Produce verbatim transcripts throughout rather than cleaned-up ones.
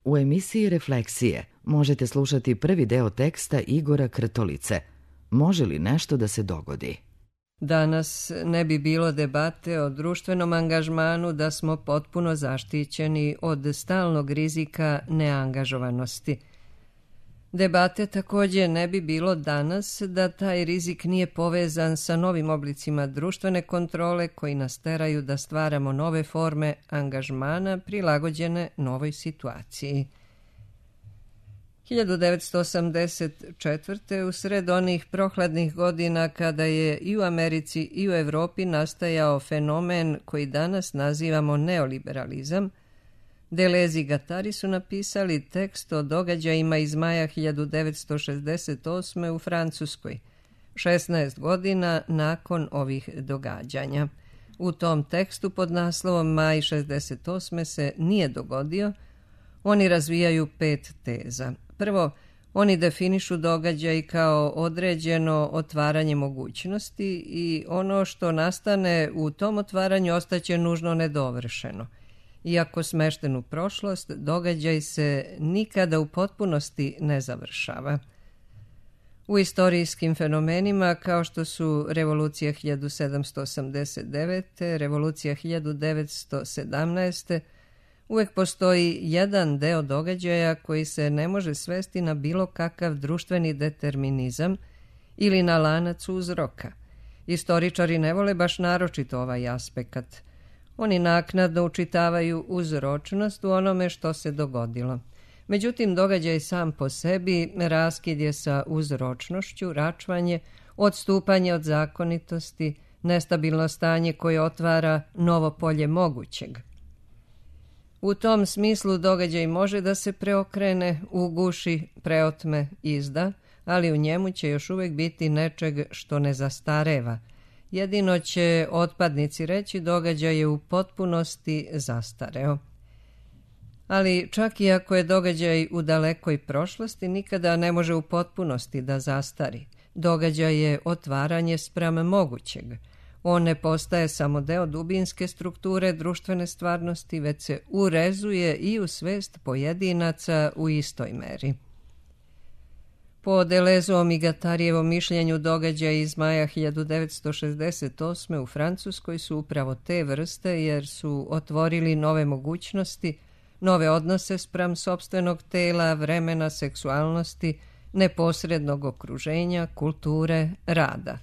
U emisiji Refleksije možete slušati prvi deo teksta Igora Krtolice Može li nešto da se dogodi? Danas ne bi bilo debate o društvenom angažmanu da smo potpuno zaštićeni od stalnog rizika neangažovanosti. Debate također ne bi bilo danas da taj rizik nije povezan sa novim oblicima društvene kontrole koji nas teraju da stvaramo nove forme angažmana prilagođene novoj situaciji. hiljadu devetsto osamdeset četvrte. u sred onih prohladnih godina kada je i u Americi i u Evropi nastajao fenomen koji danas nazivamo neoliberalizam, Deleuze i Guattari su napisali tekst o događajima iz maja hiljadu devetsto šezdeset osme. u Francuskoj, šesnaest godina nakon ovih događanja. U tom tekstu pod naslovom Maj šezdeset osme se nije dogodio, oni razvijaju pet teza. Prvo, oni definišu događaj kao određeno otvaranje mogućnosti i ono što nastane u tom otvaranju ostaće nužno nedovršeno. Iako smešten u prošlost, događaj se nikada u potpunosti ne završava. U istorijskim fenomenima kao što su revolucija hiljadu sedamsto osamdeset devete. revolucija hiljadu devetsto sedamnaeste. uvek postoji jedan deo događaja koji se ne može svesti na bilo kakav društveni determinizam ili na lanac uzroka. Istoričari ne vole baš naročito ovaj aspekt. Oni naknadno učitavaju uzročnost u onome što se dogodilo. Međutim, događaj sam po sebi raskid je sa uzročnošću, račvanje, odstupanje od zakonitosti, nestabilno stanje koje otvara novo polje mogućeg. U tom smislu događaj može da se preokrene, uguši, preotme, izda, ali u njemu će još uvijek biti nečeg što ne zastareva. Jedino će otpadnici reći događaj je u potpunosti zastareo. Ali čak i ako je događaj u dalekoj prošlosti, nikada ne može u potpunosti da zastari. Događaj je otvaranje spram mogućeg. On ne postaje samo deo dubinske strukture društvene stvarnosti, već se urezuje i u svest pojedinaca u istoj meri. Po Deleuzeovom i Guattarijevom mišljenju događaja iz maja hiljadu devetsto šezdeset osme. u Francuskoj su upravo te vrste jer su otvorili nove mogućnosti, nove odnose spram sopstvenog tela, vremena, seksualnosti, neposrednog okruženja, kulture, rada.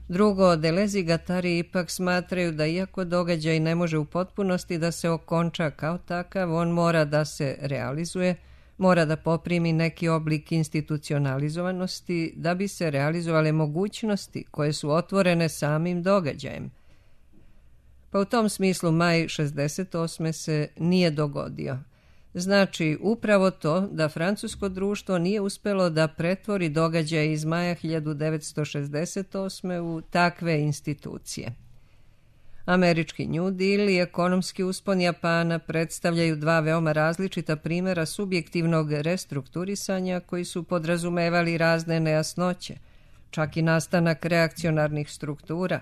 Drugo, Deleuze i Guattari ipak smatraju da iako događaj ne može u potpunosti da se okonča kao takav, on mora da se realizuje, mora da poprimi neki oblik institucionalizovanosti da bi se realizovale mogućnosti koje su otvorene samim događajem. Pa u tom smislu maj šezdeset osme. se nije dogodio. Znači upravo to da francusko društvo nije uspelo da pretvori događaje iz maja hiljadu devetsto šezdeset osme. u takve institucije. Američki New Deal i ekonomski uspon Japana predstavljaju dva veoma različita primjera subjektivnog restrukturisanja koji su podrazumevali razne nejasnoće, čak i nastanak reakcionarnih struktura,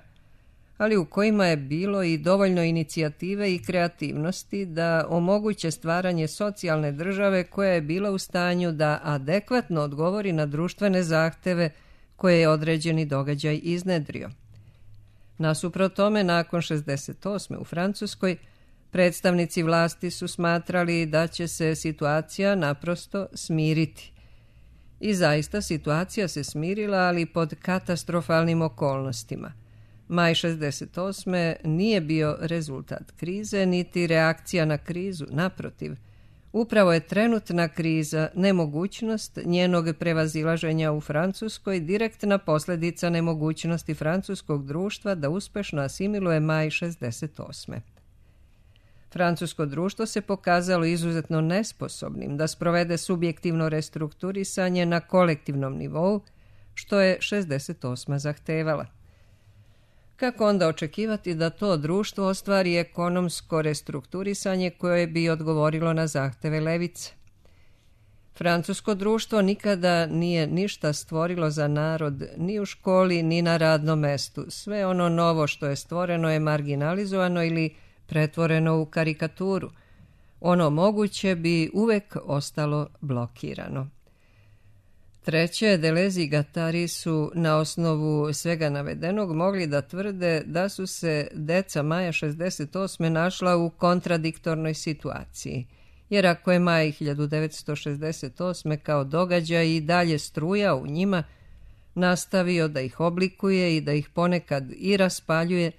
ali u kojima je bilo i dovoljno inicijative i kreativnosti da omoguće stvaranje socijalne države koja je bila u stanju da adekvatno odgovori na društvene zahteve koje je određeni događaj iznedrio. Nasuprot tome, nakon šezdeset osme. u Francuskoj, predstavnici vlasti su smatrali da će se situacija naprosto smiriti. I zaista situacija se smirila, ali pod katastrofalnim okolnostima. Maj šezdeset osme. nije bio rezultat krize, niti reakcija na krizu, naprotiv. Upravo je trenutna kriza, nemogućnost njenog prevazilaženja u Francuskoj, direktna posljedica nemogućnosti francuskog društva da uspešno asimiluje maj šezdeset osme. Francusko društvo se pokazalo izuzetno nesposobnim da sprovede subjektivno restrukturisanje na kolektivnom nivou, što je šezdeset osma. zahtevala. Kako onda očekivati da to društvo ostvari ekonomsko restrukturisanje koje bi odgovorilo na zahteve levice? Francusko društvo nikada nije ništa stvorilo za narod ni u školi ni na radnom mestu. Sve ono novo što je stvoreno je marginalizovano ili pretvoreno u karikaturu. Ono moguće bi uvek ostalo blokirano. Treće, Deleuze i Guattari su na osnovu svega navedenog mogli da tvrde da su se deca maja šezdeset osme našla u kontradiktornoj situaciji, jer ako je maj hiljadu devetsto šezdeset osme kao događaj i dalje strujao u njima, nastavio da ih oblikuje i da ih ponekad i raspaljuje,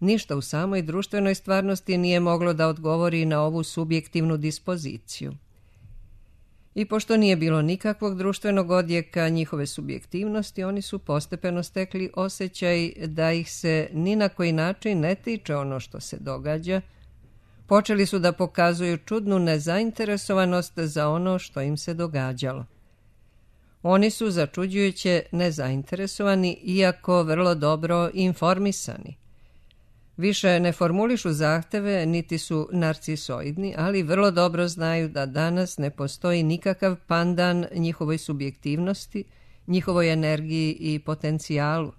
ništa u samoj društvenoj stvarnosti nije moglo da odgovori na ovu subjektivnu dispoziciju. I pošto nije bilo nikakvog društvenog odjeka njihove subjektivnosti, oni su postepeno stekli osjećaj da ih se ni na koji način ne tiče ono što se događa. Počeli su da pokazuju čudnu nezainteresovanost za ono što im se događalo. Oni su začuđujuće nezainteresovani, iako vrlo dobro informisani. Više ne formulišu zahteve, niti su narcisoidni, ali vrlo dobro znaju da danas ne postoji nikakav pandan njihovoj subjektivnosti, njihovoj energiji i potencijalu.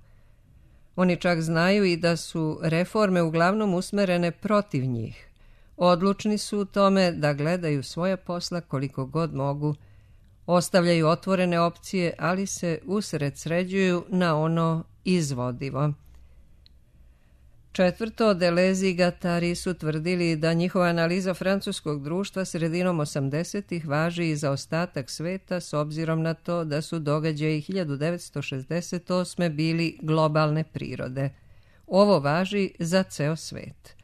Oni čak znaju i da su reforme uglavnom usmerene protiv njih. Odlučni su u tome da gledaju svoja posla koliko god mogu, ostavljaju otvorene opcije, ali se usredsređuju na ono izvodivo. Četvrto, Deleuze i Guattari su tvrdili da njihova analiza francuskog društva sredinom osamdesetih važi i za ostatak sveta s obzirom na to da su događaji hiljadu devetsto šezdeset osme bili globalne prirode. Ovo važi za ceo svet.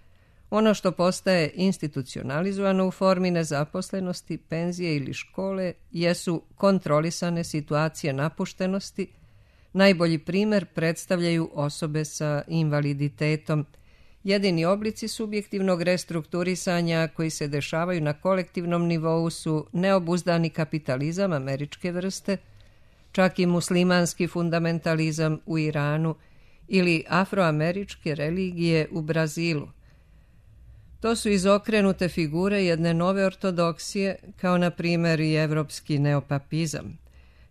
Ono što postaje institucionalizovano u formi nezaposlenosti, penzije ili škole jesu kontrolisane situacije napuštenosti. Najbolji primer predstavljaju osobe sa invaliditetom. Jedini oblici subjektivnog restrukturisanja koji se dešavaju na kolektivnom nivou su neobuzdani kapitalizam američke vrste, čak i muslimanski fundamentalizam u Iranu ili afroameričke religije u Brazilu. To su izokrenute figure jedne nove ortodoksije, kao na primjer i evropski neopapizam.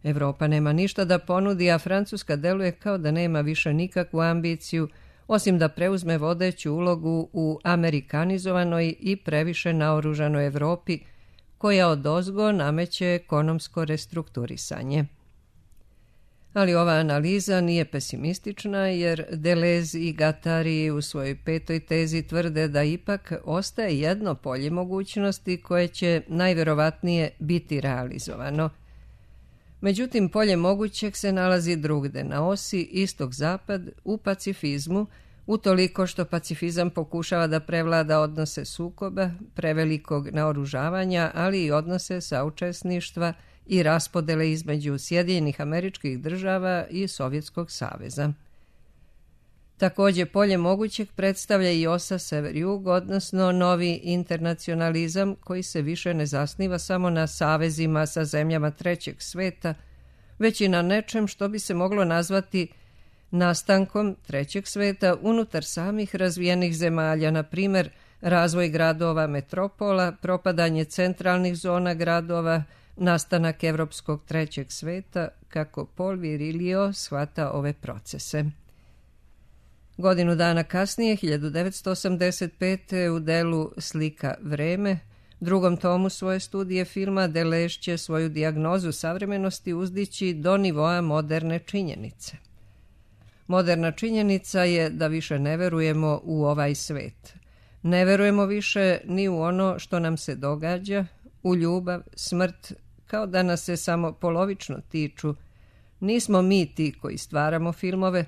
Evropa nema ništa da ponudi, a Francuska deluje kao da nema više nikakvu ambiciju, osim da preuzme vodeću ulogu u amerikanizovanoj i previše naoružanoj Evropi, koja odozgo nameće ekonomsko restrukturisanje. Ali ova analiza nije pesimistična, jer Deleuze i Guattari u svojoj petoj tezi tvrde da ipak ostaje jedno polje mogućnosti koje će najverovatnije biti realizovano. Međutim, polje mogućeg se nalazi drugde, na osi istok-zapad, u pacifizmu, utoliko što pacifizam pokušava da prevlada odnose sukoba, prevelikog naoružavanja, ali i odnose saučesništva i raspodele između Sjedinjenih Američkih Država i Sovjetskog saveza. Također, polje mogućeg predstavlja i osa sever-jug, odnosno novi internacionalizam koji se više ne zasniva samo na savezima sa zemljama trećeg sveta, već i na nečem što bi se moglo nazvati nastankom trećeg sveta unutar samih razvijenih zemalja, na primjer razvoj gradova metropola, propadanje centralnih zona gradova, nastanak evropskog trećeg sveta, kako Paul Virilio shvata ove procese. Godinu dana kasnije, hiljadu devetsto osamdeset pete. u delu Slika vreme, drugom tomu svoje studije filma, Deleuze će svoju dijagnozu savremenosti uzdići do nivoa moderne činjenice. Moderna činjenica je da više ne verujemo u ovaj svet. Ne verujemo više ni u ono što nam se događa, u ljubav, smrt, kao da nas se samo polovično tiču. Nismo mi ti koji stvaramo filmove,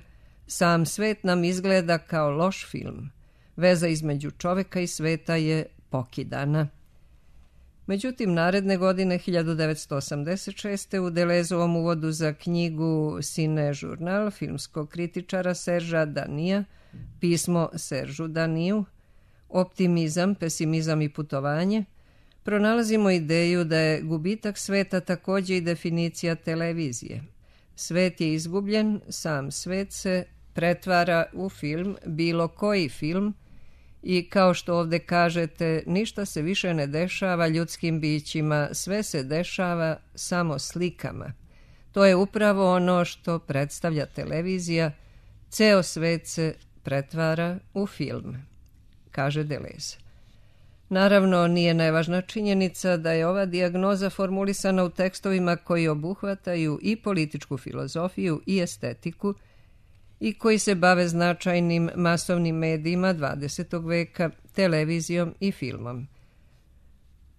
sam svet nam izgleda kao loš film. Veza između čoveka i sveta je pokidana. Međutim, naredne godine, hiljadu devetsto osamdeset šeste. u Deleuzeovom uvodu za knjigu Cine Journal filmskog kritičara Serža Danija, pismo Seržu Daniju, Optimizam, pesimizam i putovanje, pronalazimo ideju da je gubitak sveta također i definicija televizije. Svet je izgubljen, sam svet se pretvara u film, bilo koji film, i kao što ovdje kažete, ništa se više ne dešava ljudskim bićima, sve se dešava samo slikama. To je upravo ono što predstavlja televizija, ceo svet se pretvara u film, kaže Deleuze. Naravno, nije nevažna činjenica da je ova dijagnoza formulisana u tekstovima koji obuhvataju i političku filozofiju i estetiku i koji se bave značajnim masovnim medijima dvadesetog veka, televizijom i filmom.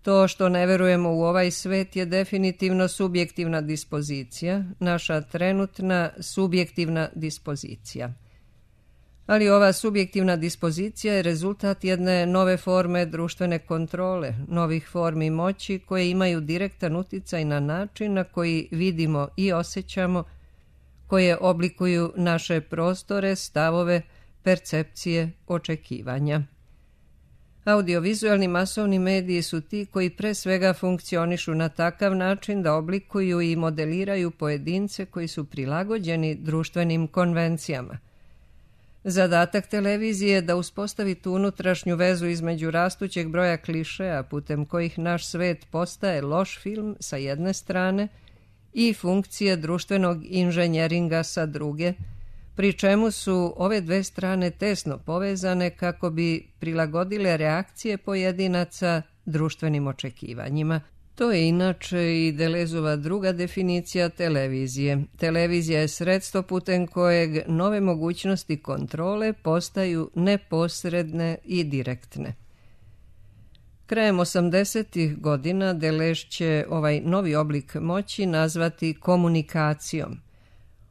To što ne verujemo u ovaj svet je definitivno subjektivna dispozicija, naša trenutna subjektivna dispozicija. Ali ova subjektivna dispozicija je rezultat jedne nove forme društvene kontrole, novih formi moći koje imaju direktan uticaj na način na koji vidimo i osjećamo, koje oblikuju naše prostore, stavove, percepcije, očekivanja. Audiovizualni masovni mediji su ti koji pre svega funkcionišu na takav način da oblikuju i modeliraju pojedince koji su prilagođeni društvenim konvencijama. Zadatak televizije je da uspostavi tu unutrašnju vezu između rastućeg broja klišeja putem kojih naš svet postaje loš film sa jedne strane i funkcije društvenog inženjeringa sa druge, pri čemu su ove dve strane tesno povezane kako bi prilagodile reakcije pojedinaca društvenim očekivanjima. To je inače i Delezova druga definicija televizije. Televizija je sredstvo putem kojeg nove mogućnosti kontrole postaju neposredne i direktne. Krajem osamdesetih godina Deleuze će ovaj novi oblik moći nazvati komunikacijom.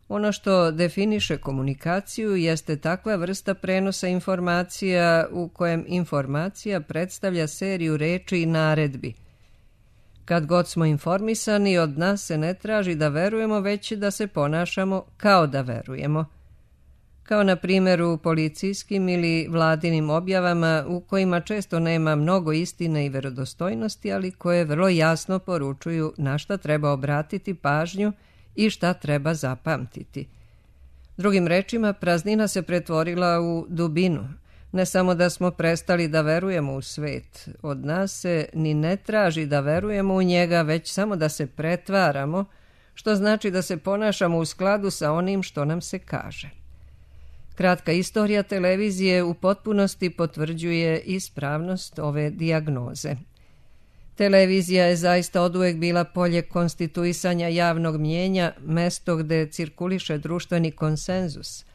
Ono što definiše komunikaciju jeste takva vrsta prenosa informacija u kojem informacija predstavlja seriju reči i naredbi. Kad god smo informisani, od nas se ne traži da verujemo, već da se ponašamo kao da verujemo. Kao na primjer u policijskim ili vladinim objavama u kojima često nema mnogo istine i verodostojnosti, ali koje vrlo jasno poručuju na šta treba obratiti pažnju i šta treba zapamtiti. Drugim rečima, praznina se pretvorila u dubinu. Ne samo da smo prestali da verujemo u svet, od nas se ni ne traži da verujemo u njega, već samo da se pretvaramo, što znači da se ponašamo u skladu sa onim što nam se kaže. Kratka istorija televizije u potpunosti potvrđuje ispravnost ove dijagnoze. Televizija je zaista oduvek bila polje konstituisanja javnog mnjenja, mesto gde cirkuliše društveni konsenzus.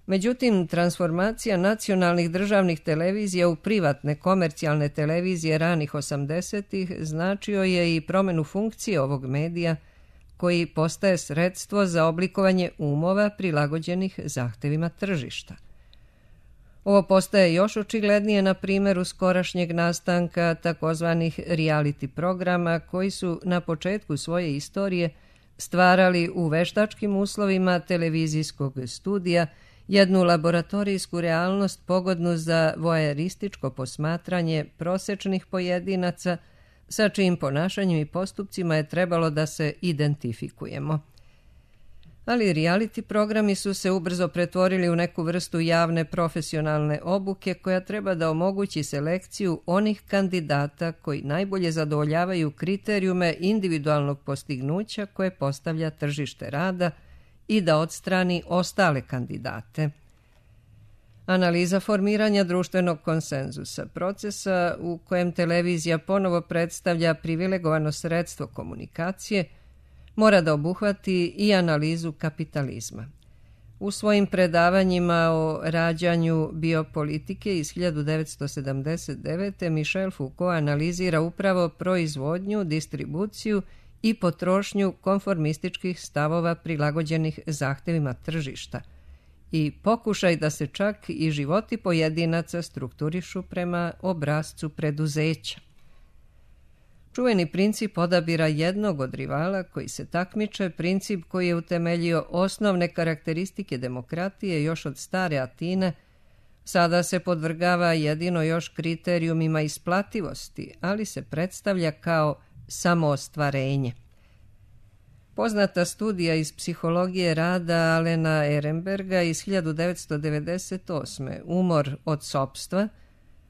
Međutim, transformacija nacionalnih državnih televizija u privatne komercijalne televizije ranih osamdesetih značio je i promenu funkcije ovog medija, koji postaje sredstvo za oblikovanje umova prilagođenih zahtevima tržišta. Ovo postaje još očiglednije na primjeru skorašnjeg nastanka takozvanih reality programa koji su na početku svoje istorije stvarali u veštačkim uslovima televizijskog studija jednu laboratorijsku realnost pogodnu za voajerističko posmatranje prosečnih pojedinaca sa čijim ponašanjem i postupcima je trebalo da se identifikujemo. Ali reality programi su se ubrzo pretvorili u neku vrstu javne profesionalne obuke koja treba da omogući selekciju onih kandidata koji najbolje zadovoljavaju kriterijume individualnog postignuća koje postavlja tržište rada i da odstrani ostale kandidate. Analiza formiranja društvenog konsenzusa, procesa u kojem televizija ponovo predstavlja privilegovano sredstvo komunikacije, mora da obuhvati i analizu kapitalizma. U svojim predavanjima o rađanju biopolitike iz hiljadu devetsto sedamdeset devete. Michel Foucault analizira upravo proizvodnju, distribuciju i potrošnju konformističkih stavova prilagođenih zahtevima tržišta i pokušaj da se čak i životi pojedinaca strukturišu prema obrascu preduzeća. Čuveni princip odabira jednog od rivala koji se takmiče, princip koji je utemeljio osnovne karakteristike demokratije još od stare Atine, sada se podvrgava jedino još kriterijumima isplativosti, ali se predstavlja kao samoostvarenje. Poznata studija iz psihologije rada Alena Ehrenberga iz hiljadu devetsto devedeset osme. Umor od sopstva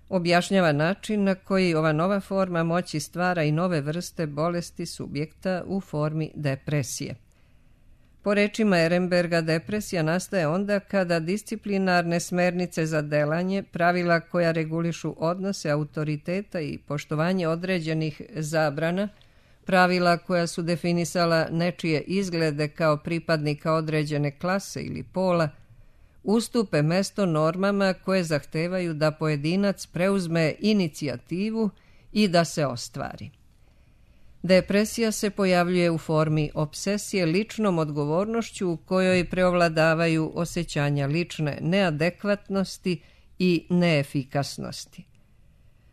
objašnjava način na koji ova nova forma moći stvara i nove vrste bolesti subjekta u formi depresije. Po rečima Ehrenberga, depresija nastaje onda kada disciplinarne smernice za delanje, pravila koja regulišu odnose autoriteta i poštovanje određenih zabrana, pravila koja su definisala nečije izglede kao pripadnika određene klase ili pola, ustupe mesto normama koje zahtevaju da pojedinac preuzme inicijativu i da se ostvari. Depresija se pojavljuje u formi obsesije ličnom odgovornošću u kojoj preovladavaju osjećanja lične neadekvatnosti i neefikasnosti.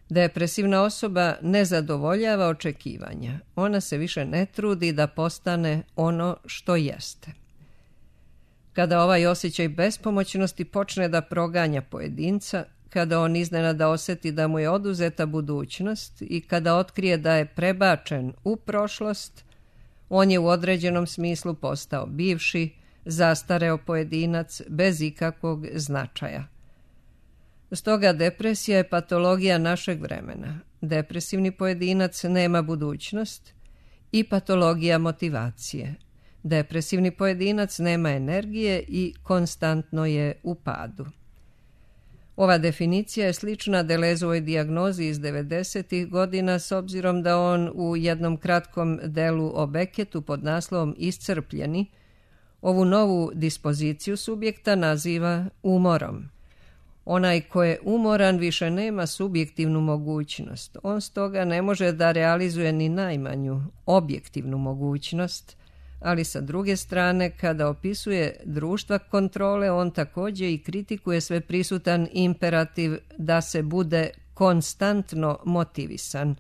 Depresivna osoba ne zadovoljava očekivanja. Ona se više ne trudi da postane ono što jeste. Kada ovaj osjećaj bespomoćnosti počne da proganja pojedinca, kada on iznenada osjeti da mu je oduzeta budućnost i kada otkrije da je prebačen u prošlost, on je u određenom smislu postao bivši, zastareo pojedinac bez ikakvog značaja. Stoga depresija je patologija našeg vremena. Depresivni pojedinac nema budućnost i patologija motivacije. Depresivni pojedinac nema energije i konstantno je u padu. Ova definicija je slična Delezovoj dijagnozi iz devedesetih godina s obzirom da on u jednom kratkom delu o Becketu pod naslovom Iscrpljeni ovu novu dispoziciju subjekta naziva umorom. Onaj ko je umoran više nema subjektivnu mogućnost. On stoga ne može da realizuje ni najmanju objektivnu mogućnost, ali sa druge strane, kada opisuje društva kontrole, on također i kritikuje sve prisutan imperativ da se bude konstantno motivisan.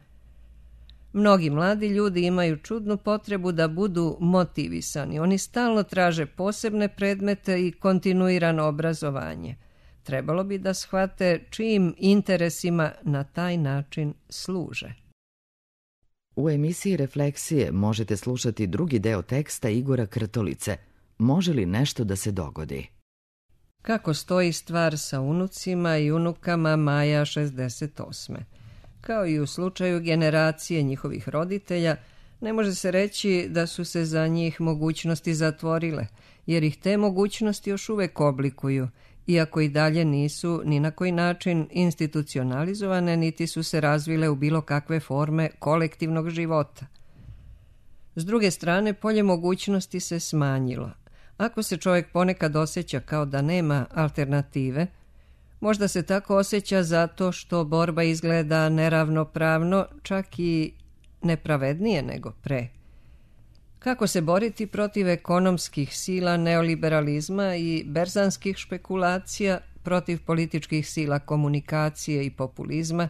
Mnogi mladi ljudi imaju čudnu potrebu da budu motivisani. Oni stalno traže posebne predmete i kontinuirano obrazovanje. Trebalo bi da shvate čijim interesima na taj način služe. U emisiji Refleksije možete slušati drugi deo teksta Igora Krtolice. Može li nešto da se dogodi? Kako stoji stvar sa unucima i unukama maja šezdeset osme. Kao i u slučaju generacije njihovih roditelja, ne može se reći da su se za njih mogućnosti zatvorile, jer ih te mogućnosti još uvek oblikuju, iako i dalje nisu ni na koji način institucionalizovane, niti su se razvile u bilo kakve forme kolektivnog života. S druge strane, polje mogućnosti se smanjilo. Ako se čovjek ponekad osjeća kao da nema alternative, možda se tako osjeća zato što borba izgleda neravnopravno, čak i nepravednije nego pre. Kako se boriti protiv ekonomskih sila neoliberalizma i berzanskih špekulacija, protiv političkih sila komunikacije i populizma,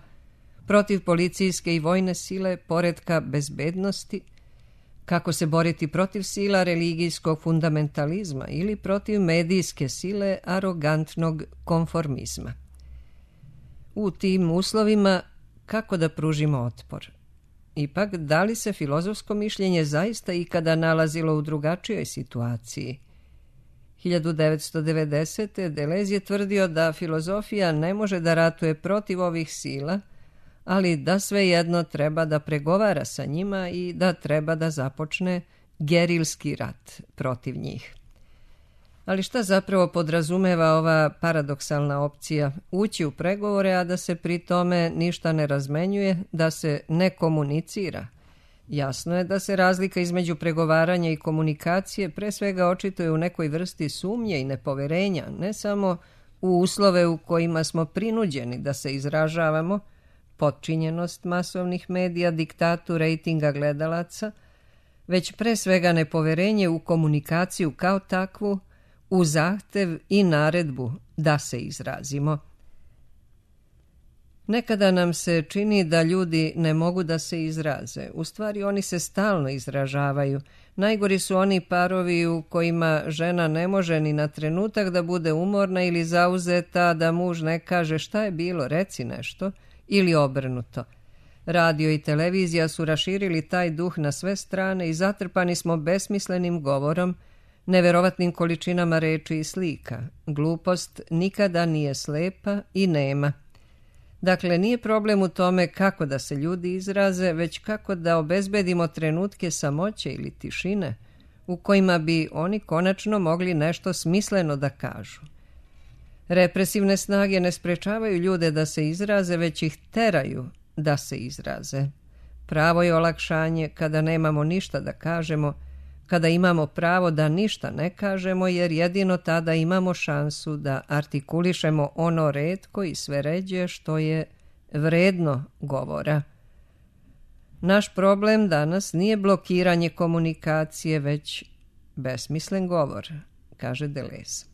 protiv policijske i vojne sile poretka bezbednosti, kako se boriti protiv sila religijskog fundamentalizma ili protiv medijske sile arogantnog konformizma. U tim uslovima kako da pružimo otpor? Ipak, da li se filozofsko mišljenje zaista ikada nalazilo u drugačijoj situaciji? hiljadu devetsto devedesete. Deleuze je tvrdio da filozofija ne može da ratuje protiv ovih sila, ali da svejedno treba da pregovara sa njima i da treba da započne gerilski rat protiv njih. Ali šta zapravo podrazumeva ova paradoksalna opcija? Ući u pregovore, a da se pri tome ništa ne razmenjuje, da se ne komunicira. Jasno je da se razlika između pregovaranja i komunikacije pre svega očituje u nekoj vrsti sumnje i nepoverenja, ne samo u uslove u kojima smo prinuđeni da se izražavamo, potčinjenost masovnih medija, diktatu rejtinga gledalaca, već pre svega nepoverenje u komunikaciju kao takvu, u zahtev i naredbu da se izrazimo. Nekada nam se čini da ljudi ne mogu da se izraze. U stvari oni se stalno izražavaju. Najgori su oni parovi u kojima žena ne može ni na trenutak da bude umorna ili zauzeta, da muž ne kaže šta je bilo, reci nešto, ili obrnuto. Radio i televizija su raširili taj duh na sve strane i zatrpani smo besmislenim govorom, neverovatnim količinama reči i slika. Glupost nikada nije slepa i nema. Dakle, nije problem u tome kako da se ljudi izraze, već kako da obezbedimo trenutke samoće ili tišine, u kojima bi oni konačno mogli nešto smisleno da kažu. Represivne snage ne sprečavaju ljude da se izraze, već ih teraju da se izraze. Pravo je olakšanje kada nemamo ništa da kažemo, kada imamo pravo da ništa ne kažemo, jer jedino tada imamo šansu da artikulišemo ono retko i sve ređe što je vredno govora. Naš problem danas nije blokiranje komunikacije, već besmislen govor, kaže Deleuze.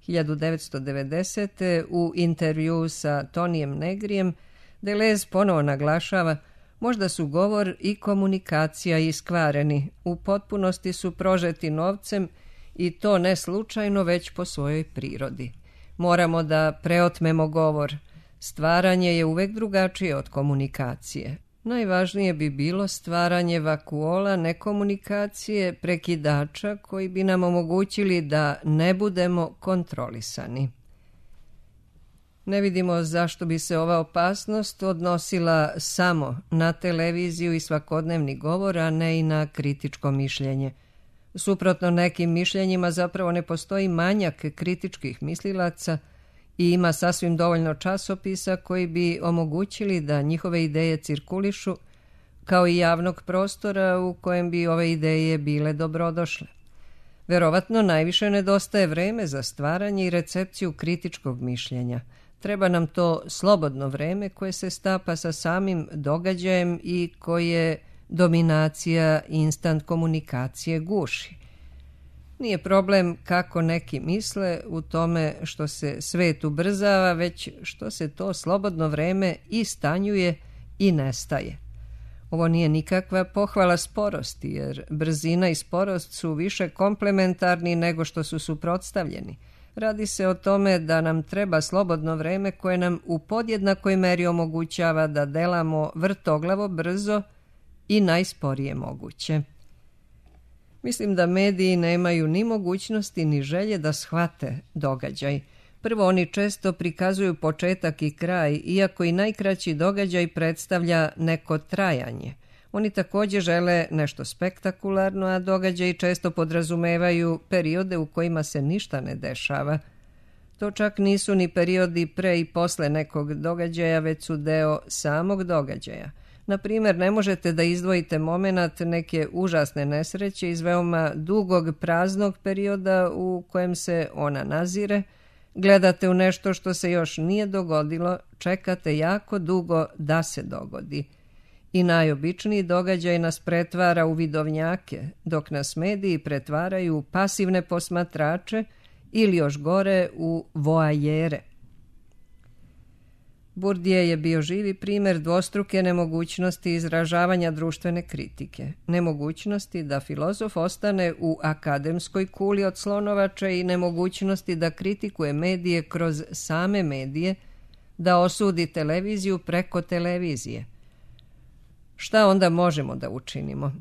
hiljadu devetsto devedesete. u intervjuu sa Tonijem Negrijem Deleuze ponovo naglašava: možda su govor i komunikacija iskvareni, u potpunosti su prožeti novcem i to ne slučajno, već po svojoj prirodi. Moramo da preotmemo govor. Stvaranje je uvek drugačije od komunikacije. Najvažnije bi bilo stvaranje vakuola nekomunikacije, prekidača koji bi nam omogućili da ne budemo kontrolisani. Ne vidimo zašto bi se ova opasnost odnosila samo na televiziju i svakodnevni govor, a ne i na kritičko mišljenje. Suprotno nekim mišljenjima zapravo ne postoji manjak kritičkih mislilaca i ima sasvim dovoljno časopisa koji bi omogućili da njihove ideje cirkulišu, kao i javnog prostora u kojem bi ove ideje bile dobrodošle. Verovatno najviše nedostaje vreme za stvaranje i recepciju kritičkog mišljenja. Treba nam to slobodno vreme koje se stapa sa samim događajem i koje dominacija instant komunikacije guši. Nije problem kako neki misle u tome što se svet ubrzava, već što se to slobodno vreme i stanjuje i nestaje. Ovo nije nikakva pohvala sporosti, jer brzina i sporost su više komplementarni nego što su suprotstavljeni. Radi se o tome da nam treba slobodno vreme koje nam u podjednakoj meri omogućava da delamo vrtoglavo brzo i najsporije moguće. Mislim da mediji nemaju ni mogućnosti ni želje da shvate događaj. Prvo, oni često prikazuju početak i kraj, iako i najkraći događaj predstavlja neko trajanje. Oni također žele nešto spektakularno, a događaji često podrazumevaju periode u kojima se ništa ne dešava. To čak nisu ni periodi pre i posle nekog događaja, već su deo samog događaja. Na primjer, ne možete da izdvojite momenat neke užasne nesreće iz veoma dugog praznog perioda u kojem se ona nazire, gledate u nešto što se još nije dogodilo, čekate jako dugo da se dogodi. I najobičniji događaj nas pretvara u vidovnjake, dok nas mediji pretvaraju u pasivne posmatrače ili još gore u voajere. Bourdieu je bio živi primjer dvostruke nemogućnosti izražavanja društvene kritike, nemogućnosti da filozof ostane u akademskoj kuli od slonovača i nemogućnosti da kritikuje medije kroz same medije, da osudi televiziju preko televizije. Šta onda možemo da učinimo?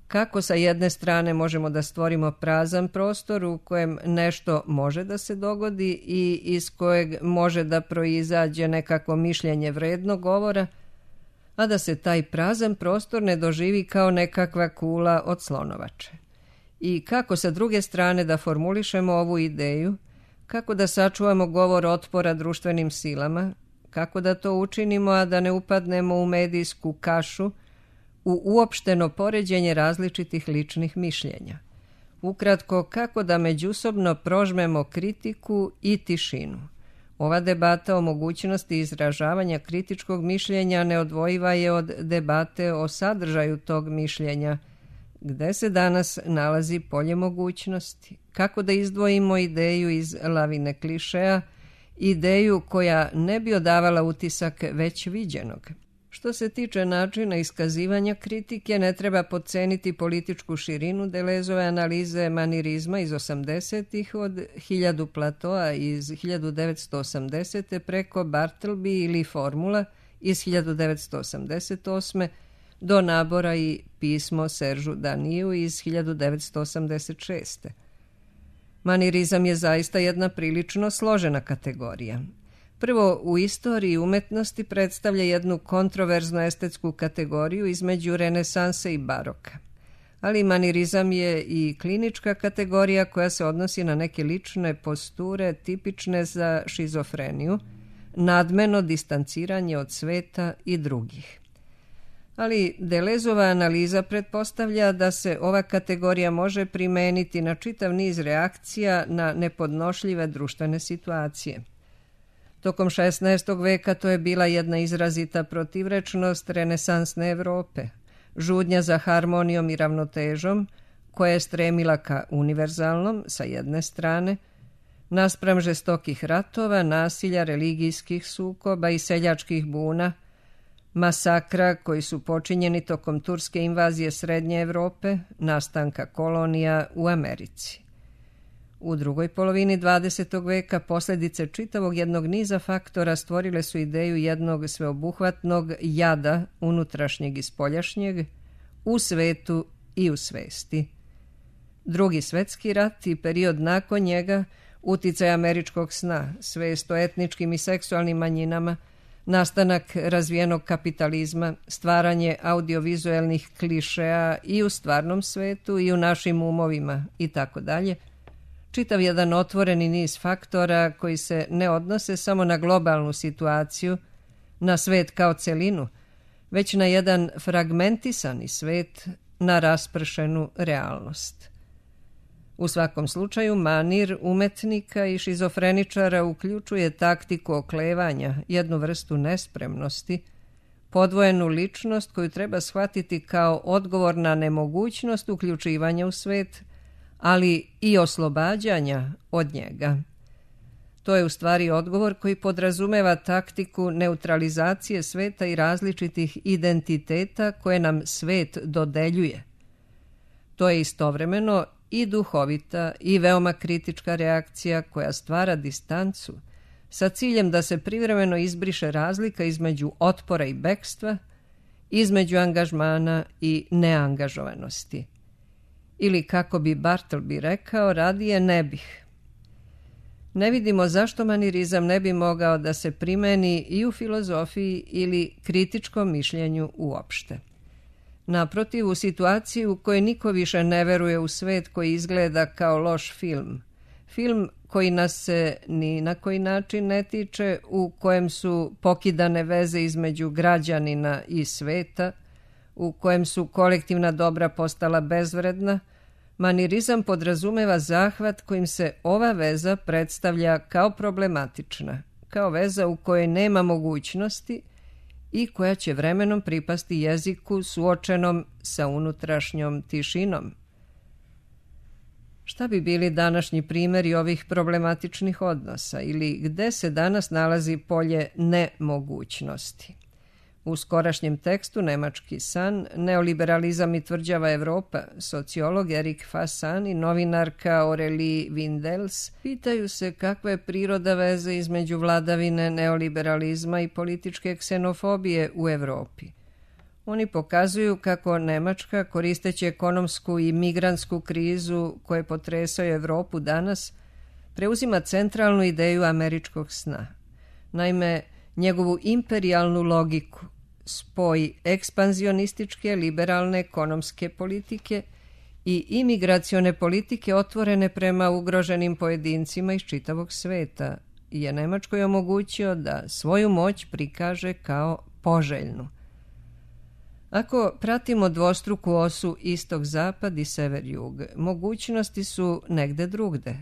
Kako sa jedne strane možemo da stvorimo prazan prostor u kojem nešto može da se dogodi i iz kojeg može da proizađe nekakvo mišljenje vredno govora, a da se taj prazan prostor ne doživi kao nekakva kula od slonovače? I kako sa druge strane da formulišemo ovu ideju, kako da sačuvamo govor otpora društvenim silama, kako da to učinimo, a da ne upadnemo u medijsku kašu, u uopšteno poređenje različitih ličnih mišljenja. Ukratko, kako da međusobno prožmemo kritiku i tišinu. Ova debata o mogućnosti izražavanja kritičkog mišljenja neodvojiva je od debate o sadržaju tog mišljenja. Gde se danas nalazi polje mogućnosti? Kako da izdvojimo ideju iz lavine klišeja, ideju koja ne bi odavala utisak već viđenog? Što se tiče načina iskazivanja kritike, ne treba podceniti političku širinu Deleuzeove analize manirizma iz osamdesetih od hiljadu Platoa iz hiljadu devetsto osamdesete preko Bartleby ili Formula iz hiljadu devetsto osamdeset osme do nabora i pismo Seržu Daniju iz hiljadu devetsto osamdeset šeste. Manirizam je zaista jedna prilično složena kategorija. Prvo, u istoriji umetnosti predstavlja jednu kontroverznu estetsku kategoriju između renesanse i baroka. ali manirizam je i klinička kategorija koja se odnosi na neke lične posture tipične za šizofreniju, nadmeno distanciranje od sveta i drugih. Ali Delezova analiza pretpostavlja da se ova kategorija može primeniti na čitav niz reakcija na nepodnošljive društvene situacije. Tokom šesnaestog veka to je bila jedna izrazita protivrečnost renesansne Evrope, žudnja za harmonijom i ravnotežom, koja je stremila ka univerzalnom sa jedne strane, naspram žestokih ratova, nasilja, religijskih sukoba i seljačkih buna, masakra koji su počinjeni tokom turske invazije Srednje Evrope, nastanka kolonija u Americi. U drugoj polovini dvadesetog veka posljedice čitavog jednog niza faktora stvorile su ideju jednog sveobuhvatnog jada unutrašnjeg i spoljašnjeg u svetu i u svesti. Drugi svetski rat i period nakon njega, uticaj američkog sna, svest o etničkim i seksualnim manjinama, nastanak razvijenog kapitalizma, stvaranje audiovizuelnih klišeja i u stvarnom svetu i u našim umovima itd., čitav jedan otvoreni niz faktora koji se ne odnose samo na globalnu situaciju, na svet kao celinu, već na jedan fragmentisani svet, na raspršenu realnost. U svakom slučaju, manir umetnika i šizofreničara uključuje taktiku oklevanja, jednu vrstu nespremnosti, podvojenu ličnost koju treba shvatiti kao odgovor na nemogućnost uključivanja u svet, ali i oslobađanja od njega. To je u stvari odgovor koji podrazumeva taktiku neutralizacije sveta i različitih identiteta koje nam svet dodeljuje. To je istovremeno i duhovita i veoma kritička reakcija koja stvara distancu sa ciljem da se privremeno izbriše razlika između otpora i bekstva, između angažmana i neangažovanosti. Ili, kako bi Bartleby rekao, radije ne bih. Ne vidimo zašto manirizam ne bi mogao da se primeni i u filozofiji ili kritičkom mišljenju uopšte. Naprotiv, u situaciji u kojoj niko više ne veruje u svet koji izgleda kao loš film, film koji nas se ni na koji način ne tiče, u kojem su pokidane veze između građanina i sveta, u kojem su kolektivna dobra postala bezvredna, manirizam podrazumeva zahvat kojim se ova veza predstavlja kao problematična, kao veza u kojoj nema mogućnosti i koja će vremenom pripasti jeziku suočenom sa unutrašnjom tišinom. Šta bi bili današnji primjeri ovih problematičnih odnosa ili gde se danas nalazi polje nemogućnosti? U skorašnjem tekstu Nemački san, neoliberalizam i tvrđava Evropa, sociolog Erik Fassan i novinarka Aurélie Windels pitaju se kakva je priroda veze između vladavine neoliberalizma i političke ksenofobije u Evropi. Oni pokazuju kako Nemačka, koristeći ekonomsku i migrantsku krizu koje potresaju Evropu danas, preuzima centralnu ideju američkog sna. Naime, njegovu imperijalnu logiku, spoj ekspanzionističke liberalne ekonomske politike i imigracione politike otvorene prema ugroženim pojedincima iz čitavog sveta je Nemačkoj omogućio da svoju moć prikaže kao poželjnu. Ako pratimo dvostruku osu istok-zapad i sever-jug, mogućnosti su negde drugde.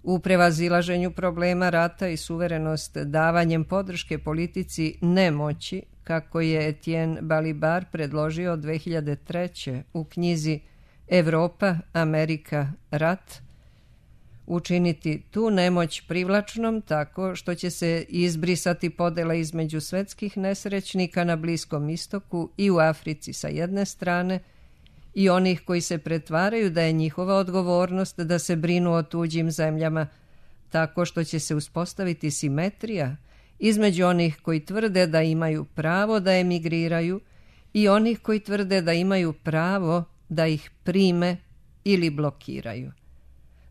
U prevazilaženju problema rata i suverenost davanjem podrške politici nemoći, kako je Etienne Balibar predložio dve hiljade treće u knjizi Evropa, Amerika, rat, učiniti tu nemoć privlačnom tako što će se izbrisati podela između svetskih nesrećnika na Bliskom istoku i u Africi sa jedne strane i onih koji se pretvaraju da je njihova odgovornost da se brinu o tuđim zemljama, tako što će se uspostaviti simetrija između onih koji tvrde da imaju pravo da emigriraju i onih koji tvrde da imaju pravo da ih prime ili blokiraju.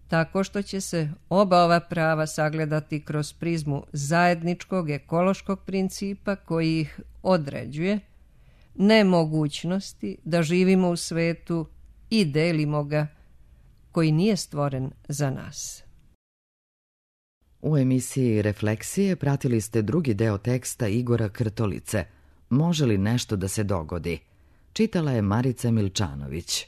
Tako što će se oba ova prava sagledati kroz prizmu zajedničkog ekološkog principa koji ih određuje, nemogućnosti da živimo u svetu i delimo ga, koji nije stvoren za nas. U emisiji Refleksije pratili ste drugi deo teksta Igora Krtolice, Može li nešto da se dogodi? Čitala je Marica Milčanović.